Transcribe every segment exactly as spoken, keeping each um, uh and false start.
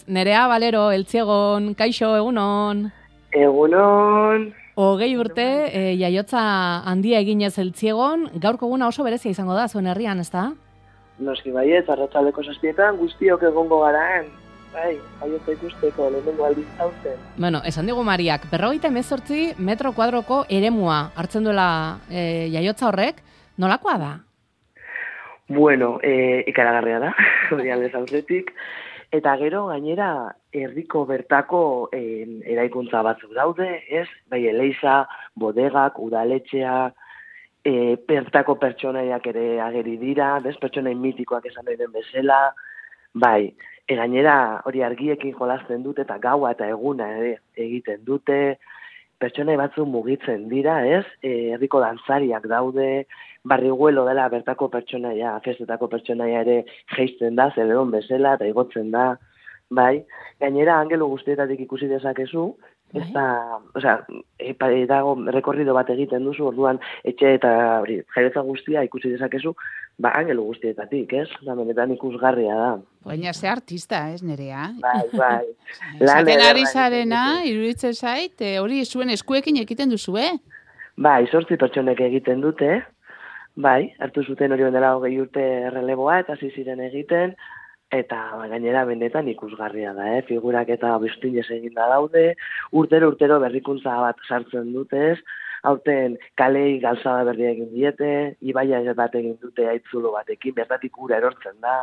Nerea Valero, Eltziegon, kaixo, egunon. Egunon. Hogei urte, e, jaiotza handia eginez Eltziegon, gaurko eguna oso berezia izango da, zuen herrian, ez da? Noski baiet, arratsaldeko zazpietan guztiok egongo garaan. Bai, jaiotza ikusteko, lehenengo aldiz hauzen. Bueno, esan digu Mariak, berrogeita hemezortzi metro kuadroko eremua hartzen duela e, jaiotza horrek, nolakoa da? Bueno, e, ikaragarria da, hori aldez aurretik. Eta gero, gainera, herriko bertako e, eraikuntza batzuk daude, ez? Bai, eleiza, bodegak, udaletxea, e, bertako pertsonaiak ere ageri dira, bez? Pertsonai mitikoak esan nahi den bezala, bai, e, gainera hori argiekin jolasten dute eta gaua eta eguna ere egiten dute, pertsonai batzuk mugitzen dira, ez? E, herriko dantzariak daude, barriguelo dela bertako pertsonaia, festetako pertsonaia ere jeisten da, zeleron bezala eta igotzen da, bai. Gainera, angelu guztietatik ikusi dezakezu, ez da, osea, e, dago rekorrido bat egiten duzu, orduan etxe eta hori, jaiotza guztia ikusi dezakezu, ba, angelu guztietatik, ez? Da, benetan ikusgarria da. Baina ze artista, ez, Nerea? Bai, bai. Zaten ari zarena, iruditzen zait, hori zuen eskuekin ekiten duzu, eh? Bai, zortzi pertsonek egiten dute, bai, hartu zuten hori bendela hogei urte erreleboa eta hasi ziren egiten, eta gainera benetan ikusgarria da, eh? Figurak eta bestinez eginda daude, urtero urtero berrikuntza bat sartzen dute, ez? Aurten kalei galzada berria egin diete, ibaia bat egin dute aitzulo batekin, bertatik ura erortzen da,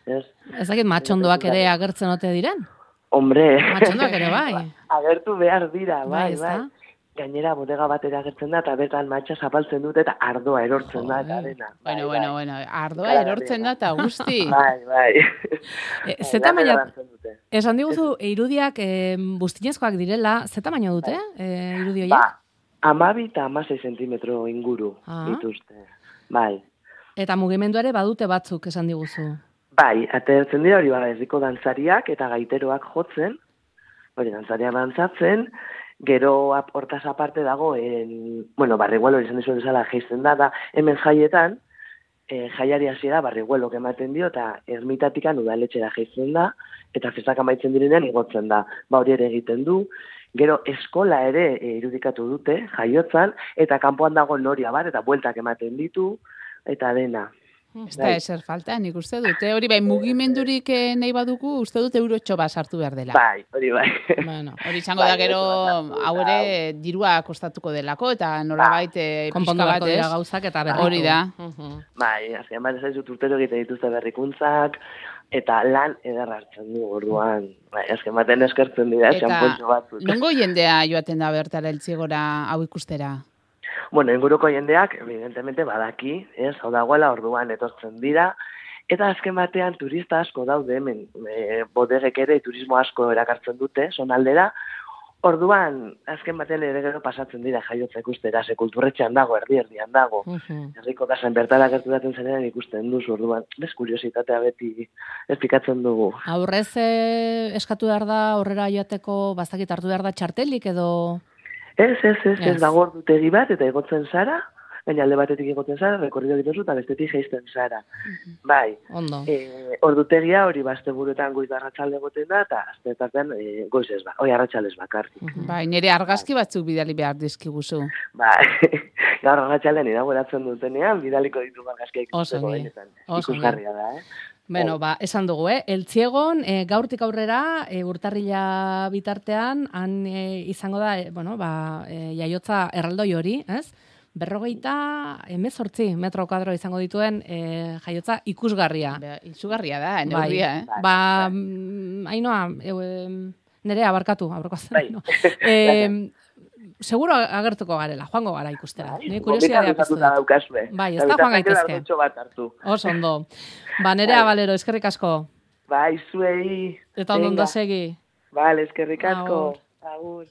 ez? Ez dakit matxondoak ere agertzen ote diren? Hombre, matxondoak ere bai. Agertu behar dira, bai, bai. bai. Gainera bodega batera agertzen da, eta bertan matxa zapaltzen dute, eta ardoa erortzen da, eta dena. Bueno, bueno, bueno, ardoa erortzen da, eta guzti. Bai, bai. E, ze tamaina, esan diguzu, irudiak e, bustinezkoak direla, ze tamaina dute, e, irudi horiek? Ba, amabi eta amasei zentimetro inguru ah. dituzte, bai. Eta mugimendu ere badute batzuk, esan diguzu? Bai, atertzen dira hori bada herriko dantzariak eta gaiteroak jotzen, hori dantzariak dantzatzen, gero hortaz aparte dago, en, bueno, barriguelo izan dizu bezala jeisten da, da hemen jaietan, e, jaiari hasiera barriguelo ematen dio, eta ermitatikan udaletxera jeisten da, eta festak amaitzen direnean igotzen da, ba hori ere egiten du, gero eskola ere e, irudikatu dute, jaiotzan, eta kanpoan dago noria bat, eta bueltak ematen ditu, eta dena. Ez da eser falta, nik uste dute. Hori bai, mugimendurik nahi badugu, uste dut eurotxo bat sartu behar dela. Bai, hori bai. Bueno, hori izango da gero, hau ere dirua kostatuko delako, eta nolabait pixka bat ez. Gauzak eta berriku. Hori da. Bai, azken bat ez dut urtero egiten dituzte berrikuntzak, eta lan ederra hartzen du orduan. Bai, azken baten eskertzen dira, xanpontxo batzuk. Eta nongo jendea joaten da bertara Eltziegora hau ikustera? Bueno, inguruko jendeak, evidentemente, badaki, ez, hau dagoela orduan etortzen dira, eta azken batean turista asko daude hemen, e, bodegek ere turismo asko erakartzen dute, zonaldera, orduan, azken batean ere gero pasatzen dira jaiotza ikustera, ze kulturretxean dago, erdi-erdian dago, herriko kasen bertara gertu daten zenean ikusten duzu, orduan, bez kuriositatea beti espikatzen dugu. Aurrez eh, eskatu behar da, aurrera joateko, bastakit hartu behar da txartelik edo... Ez, ez, ez, ez dago ordutegi bat, eta egotzen zara, baina alde batetik egotzen zara, rekorrido dituzu, eta bestetik jeisten zara. Uh-huh. Bai, ondo. E, ordutegia hori bazte buruetan goiz arratsalde egoten da, eta aztetartean e, goiz ez ba, oi arratsaldez bakarrik. Uh-huh. Bai, nire argazki batzuk bidali behar dizkiguzu. Bai, gaur arratsaldean inauguratzen dutenean, bidaliko ditu argazkiak ikusteko benetan. Ikusgarria da, eh? Bueno, ba, esan dugu, eh? Eltziegon, e, gaurtik aurrera, e, urtarrila bitartean, han e, izango da, e, bueno, ba, e, jaiotza erraldoi hori, ez? Berrogeita hemezortzi metro kuadro izango dituen e, jaiotza ikusgarria. Be, izugarria da, neurria, bai, eh? Ba, bai. Ainoa, e, e, nerea barkatu, aurreko azten. Bai. No. E, seguro agertuko garela, joango gara ikustera. Bai, kuriosidadea piztu da. Bai, ez da joan gaitezke. Oso ondo. Ba, Nerea Valero, eskerrik asko. Bai, zuei. Eta ondo ondo segi. Bale, eskerrik asko. Agur.